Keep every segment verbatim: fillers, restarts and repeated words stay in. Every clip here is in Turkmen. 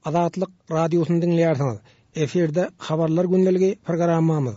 Azatlyk Radiosyny diňleýärsiňiz. Efirde Habarlar gündeligi programmamyz.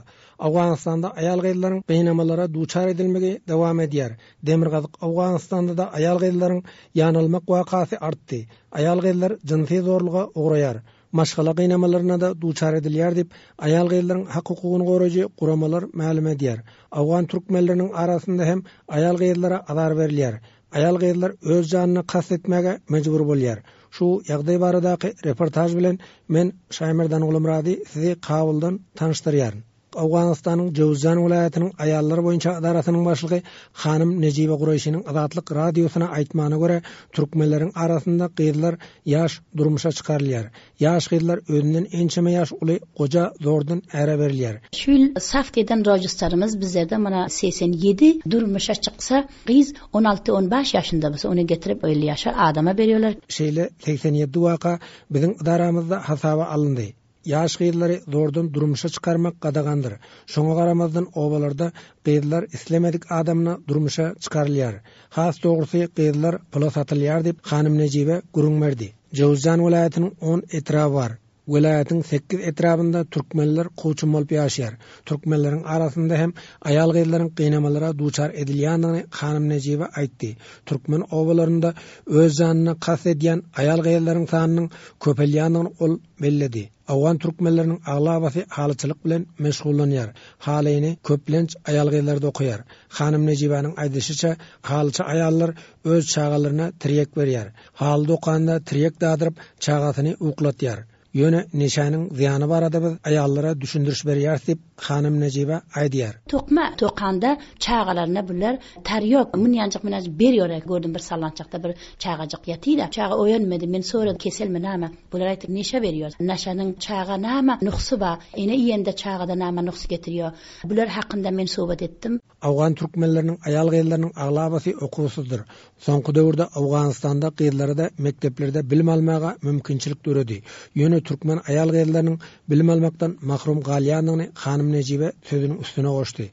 Owganystanda aýal-gyzlaryň gynamalara duçar edilmegi dowam edýär. Demirgazyk Owganystanda-da aýal-gyzlaryň ýanalmak wakasy artdy. Aýal-gyzlar jynsy zorluga ugraýar. Maşgala gynamalaryna-da duçar edilýär diýip, aýal-gyzlaryň hak-hukugyny goraýjy guramalar mälim edýär. Owgan türkmenleriniň arasynda hem aýal-gyzlara azar berilýär. Aýal-gyzlar öz janyna kast etmäge mejbur bolýar. Şu ýagdaý baradaky reportaž bilen men Şaýmerdan Gulumyrady sizi Kabuldan tanyşdyrýaryn. Owganystanyň Jöwüzjan welaýatynyň aýallar boýunça edarasynyň başlygy hanym Nejibe Guraýşynyň Azatlyk Radiosyna aýtmagyna görä, türkmenleriň arasynda gyzlar ýaş durmuşa çykarylýar. Ýaş gyzlar özünden ençeme ýaş uly goja zordan äre berilýär. Şu ýyl saf eden rojistarymyz bizlerde mana segsen ýedi durmuşa çyksa, gyz on alty, on bäş ýaşynda bolsa ony getirip elli ýaşa adama berýärler. Şeýle segsen ýedi waka biziň ydaramyzda hasaba alyndy. Ýaş gyzlary zordan durmuşa çykarmak gadagandyr. Şoňa garamazdan obalarda gyzlar islemedik adamyna durmuşa çykarylýar. Has dogrusy gyzlar pula satylýar diýip hanym Nejibe gürrüň berdi. Jöwüzjan welaýatynyň on etraby bar. Welaýatyň sekiz etrabynda türkmenler kowçum bolup ýaşaýar. Türkmenleriň arasynda hem aýal-gyzlaryň gynamalara duçar edilýändigini hanym Nejibe aýtdy. Türkmen obalarynda öz janyna kast edýän aýal-gyzlaryň sanynyň köpelýändigini ol belledi. Owgan türkmenleriniň aglabasy halyçylyk bilen meşgullanýar. Halyny köplenç aýal-gyzlar dokaýar. Hanym Nejibäniň aýdyşyça, halyçy aýallar öz çagalaryna tirýek berýär. Haly dokanda tirýek dadyryp, çagasyny uklatýar. Ýöne neşäniň zyýany barada biz aýallara düşündiriş berýäris diýip, hanym Nejibe aýdýar. Tokma tokanda çagalaryna bular tarýok, münýanjyk münýanjyk berýär. Gördüm bir sallançakda bir çagajyk ýatyda. Çaga oýanmady, men soradym, keselmi näme? Bular aýtdy, neşe berýär. Neşäniň çaga näme nuhsy bar? Ene iýende çagada näme nuhs getirýär? Bular hakynda men söhbet etdim. Owgan türkmenleriniň aýal-gyzlarynyň aglabasy okuwsyzdyr. Soňky döwürde Owganystanda gyzlara-da mekdeplerde bilim almaga mümkinçilik döredi. Ýöne türkmen aýal-gyzlarynyň bilim almakdan mahrum galýandygyny hanym Nejibe sözüniň üstüne goşdy.